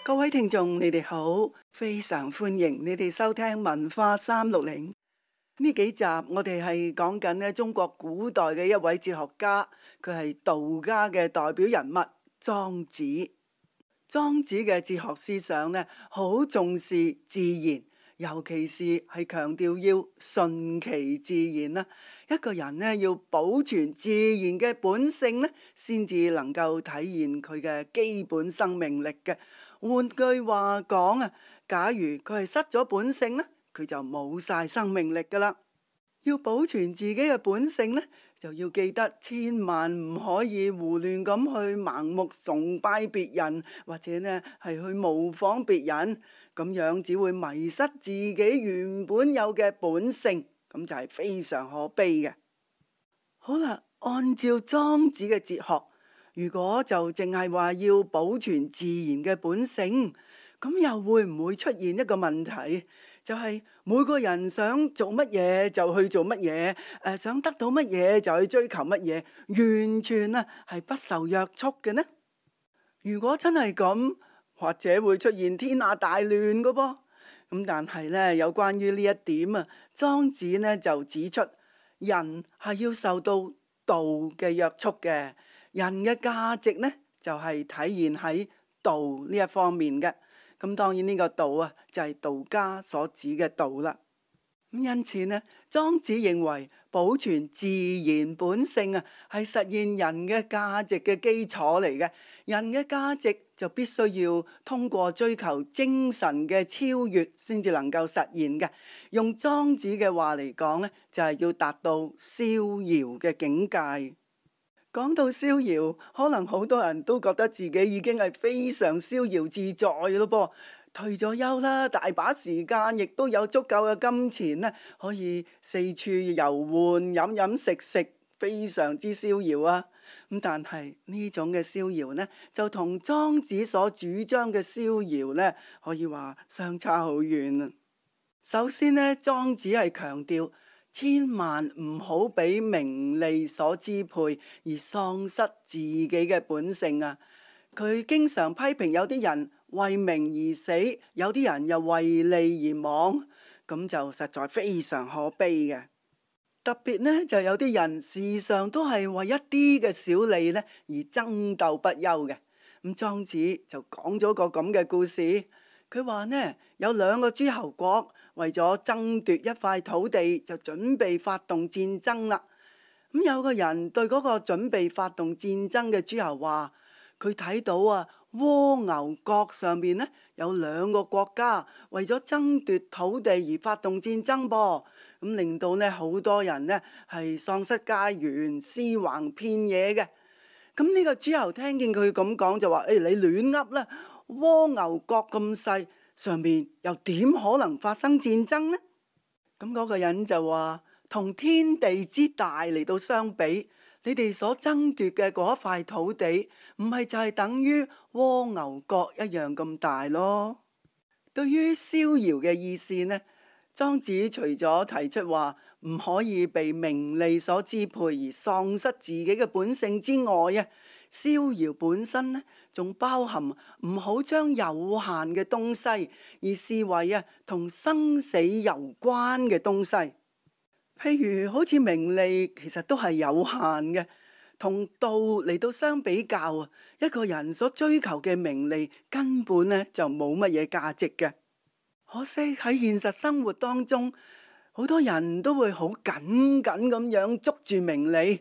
各位聽眾，你哋好，非常歡迎你哋收聽文化360。呢幾集我哋係講緊咧中國古代嘅一位哲學家，佢係道家嘅代表人物莊子。莊子嘅哲學思想咧，好重視自然，尤其是係強調要順其自然啦。一個人咧要保存自然嘅本性咧，先至能夠體現佢嘅基本生命力嘅。換句話講啊，假如佢係失咗本性咧，佢就冇晒生命力噶啦。要保存自己嘅本性咧，就要記得千萬唔可以胡亂咁去盲目崇拜別人，或者呢係去模仿別人，咁樣只會迷失自己原本有嘅本性，咁就係非常可悲嘅。好啦，按照莊子嘅哲學，如果就淨係話要保存自然嘅本性，咁又會唔會出現一個問題？就係每個人想做乜嘢就去做乜嘢，想得到乜嘢就去追求乜嘢，完全係不受約束嘅呢？如果真係咁，或者會出現天下大亂嘅噃。咁但係呢，有關於呢一點啊，莊子呢就指出，人係要受到道嘅約束嘅，人嘅價值呢就係體現喺道呢一方面嘅。咁當然呢個道啊，就係道家所指嘅道啦。咁因此呢，莊子認為保存自然本性啊，係實現人嘅價值嘅基礎嚟嘅。人嘅價值就必須要通過追求精神嘅超越，先至能夠實現嘅。用莊子嘅話嚟講呢，就係要達到逍遙嘅境界。講到逍遙，可能好多人都覺得自己已經係非常逍遙自在咯噃，退咗休啦，大把時間，亦都有足夠嘅金錢咧，可以四處遊玩、飲飲食食，非常之逍遙啊！咁但係呢種嘅逍遙呢，就同莊子所主張嘅逍遙呢，可以話相差好遠啊！首先呢，莊子係強調，千萬唔好俾名利所支配而喪失自己嘅本性啊！佢經常批評有啲人為名而死，有啲人又為利而亡，咁就實在非常可悲嘅。特別呢，就有啲人時常都係為一啲嘅小利呢而爭鬥不休嘅。咁莊子就講咗個咁嘅故事。佢話呢，有兩個諸侯國為咗爭奪一塊土地，就準備發動戰爭啦。咁有個人對嗰個準備發動戰爭嘅諸侯話，佢睇到蝸牛角上面呢，有兩個國家為咗爭奪土地而發動戰爭噃，咁令到呢好多人呢係喪失家園、屍橫遍野嘅。咁呢個諸侯聽見佢咁講就話：你亂噏啦！蝸牛角咁細，上面又點可能發生戰爭呢？咁嗰個人就話：同天地之大嚟到相比，你哋所爭奪嘅嗰一塊土地，唔係就係等於蝸牛角一樣咁大咯？對於逍遙嘅意思呢，莊子除咗提出話唔可以被名利所支配而喪失自己嘅本性之外啊，逍遙本身呢，仲包含唔好將有限嘅東西而視為同生死有關嘅東西。譬如好似名利，其實都係有限嘅。同道嚟到相比較啊，一個人所追求嘅名利根本呢就冇乜嘢價值嘅。可惜喺現實生活當中，好多人都會好緊緊咁樣捉住名利，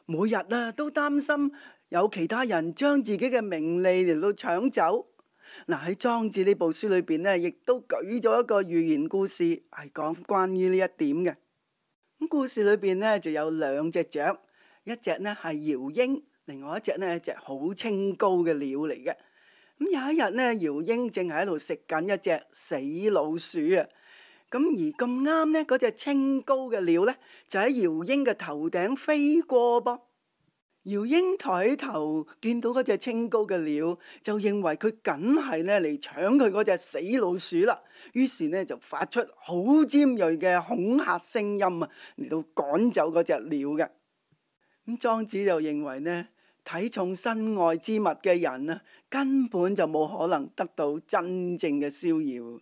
每日都擔心有其他人將自己嘅名利嚟到搶走。嗱，喺莊子呢部書裏邊呢，亦都舉咗一個寓言故事，係講關於呢一點嘅。咁故事裏邊呢，就有兩隻雀，一隻呢係鷂鷹，另外一隻呢係一隻好清高嘅鳥嚟嘅。咁有一日呢，鷂鷹正係喺度食緊一隻死老鼠啊！咁而咁啱呢，嗰隻清高嘅鳥呢，就喺鷂鷹嘅頭頂飛過噃。鷂鷹抬起頭見到嗰隻清高嘅鳥，就認為佢梗係呢嚟搶佢嗰隻死老鼠啦。於是呢就發出好尖銳嘅恐嚇聲音啊，嚟到趕走嗰隻鳥嘅。咁莊子就認為呢，睇重身外之物嘅人啊，根本就冇可能得到真正嘅逍遙。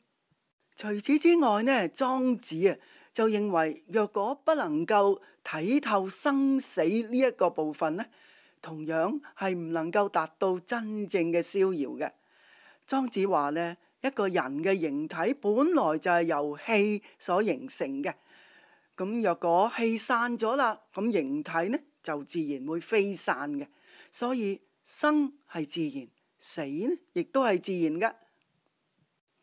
除此之外呢，莊子啊就認為，若果不能夠睇透生死呢一個部分呢，同樣係唔能夠達到真正嘅逍遙嘅。莊子話呢，一個人嘅形體本來就係由氣所形成嘅。咁若果氣散咗啦，咁形體呢就自然會飛散嘅。所以生係自然，死呢亦都係自然嘅。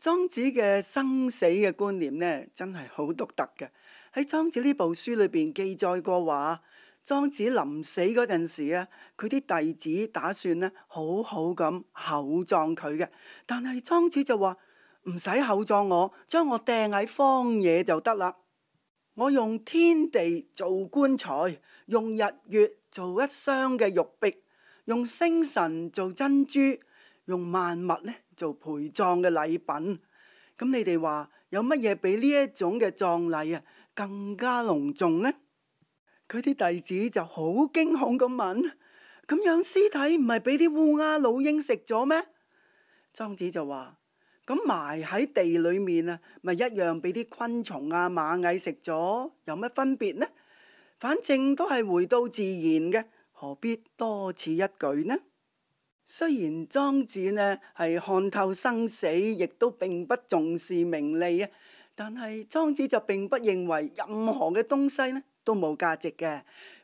莊子嘅生死嘅觀念呢，真係好獨特嘅。喺莊子呢部書裏邊記載過話，莊子臨死嗰陣時啊，佢啲弟子打算呢好好咁厚葬佢嘅，但係莊子就話唔使厚葬我，將我掟喺荒野就得啦。我用天地做棺材，用日月做一箱嘅玉璧，用星辰做珍珠，用萬物呢做陪葬嘅禮品。咁你哋話有乜嘢比呢一種嘅葬禮啊更加隆重呢？佢啲弟子就好驚恐咁問：咁樣屍體唔係俾啲烏鴉老鷹食咗咩？莊子就話：咁埋喺地裏面啊，咪一樣俾啲昆蟲啊、螞蟻食咗，有乜分別呢？反正都係回到自然嘅，何必多此一舉呢？雖然莊子呢係看透生死，亦都並不重視名利啊，但係莊子就並不認為任何嘅東西呢都冇價值嘅。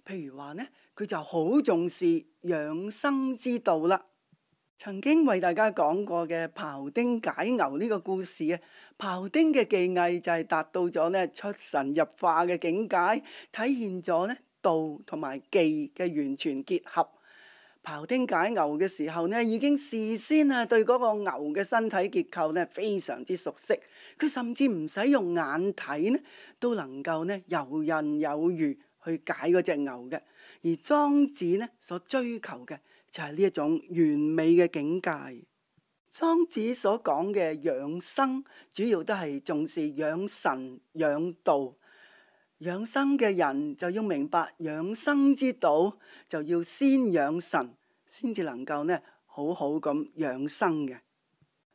譬如話呢，佢就好重視養生之道啦。曾經為大家講過嘅庖丁解牛呢個故事啊，庖丁嘅技藝就係達到咗呢出神入化嘅境界，體現咗呢道同埋技嘅完全結合。庖丁解牛嘅時候呢，已經事先啊對嗰個牛嘅身體結構呢非常之熟悉，佢甚至唔使用眼睇呢，都能夠呢游刃有餘去解嗰隻牛嘅。而莊子呢所追求嘅就係呢一種完美嘅境界。莊子所講嘅養生，主要都係重視養神養道。養生嘅人就要明白養生之道，就要先養神，先至能夠呢好好咁養生嘅。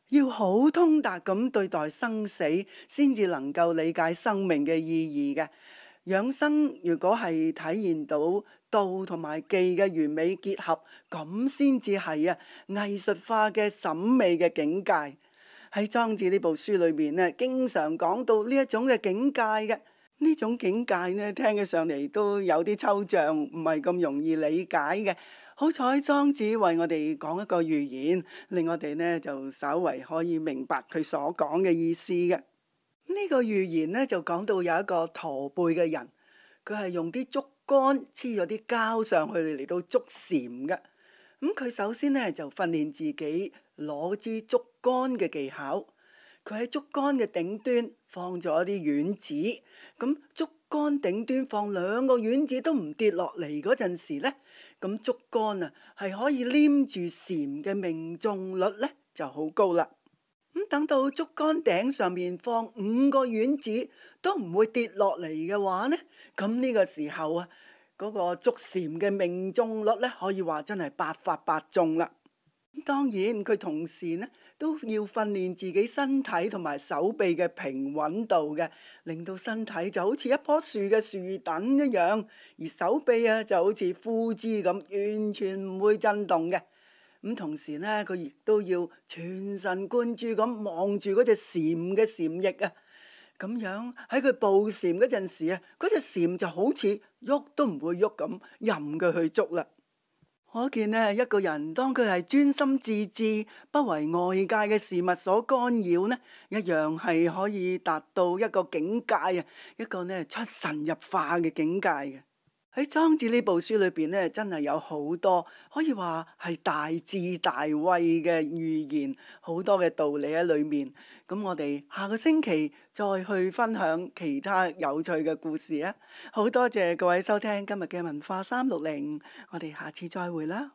要好通達咁對待生死，先至能夠理解生命嘅意義嘅。養生如果係體現到道同埋技嘅完美結合，咁先至係藝術化嘅審美嘅境界。喺莊子呢部書裏面呢，經常講到呢一種嘅境界嘅。呢種境界呢，聽起上嚟都有啲抽象，唔係咁容易理解嘅。好彩莊子為我哋講一個寓言，令我哋呢就稍為可以明白佢所講嘅意思嘅。呢個寓言呢就講到有一個駝背嘅人，佢係用啲竹竿黐咗啲膠上去嚟到捉蟬嘅。佢首先呢就訓練自己攞支竹竿嘅技巧。佢喺竹竿嘅頂端放咗一啲丸子，咁竹竿頂端放2個丸子都唔跌落嚟嗰陣時呢，咁竹竿啊係可以黏住蟬嘅命中率呢就好高啦。等到竹竿頂上面放5個丸子都唔會跌落嚟嘅話呢，咁呢個時候啊，嗰個捉蟬嘅命中率呢可以話真係百發百中啦。當然佢同時呢都要訓練自己身體同埋手臂嘅平穩度嘅，令到身體就好似一棵樹嘅樹墩一樣，而手臂就好似枯枝咁，完全唔會震動嘅。同時呢，佢亦都要全神貫注咁望住嗰隻蟬嘅蟬翼啊，咁樣喺佢捕蟬嗰陣時啊，嗰隻蟬就好似喐都唔會喐咁，任佢去捉啦。可見呢，一個人當佢係專心致志，不為外界嘅事物所干擾呢，一樣係可以達到一個境界啊，一個呢出神入化嘅境界嘅。喺莊子呢部書裏邊呢，真係有好多可以話係大智大慧嘅寓言，好多嘅道理喺裏面。咁我哋下個星期再去分享其他有趣嘅故事啊！好多謝各位收聽今日嘅文化360，我哋下次再會啦。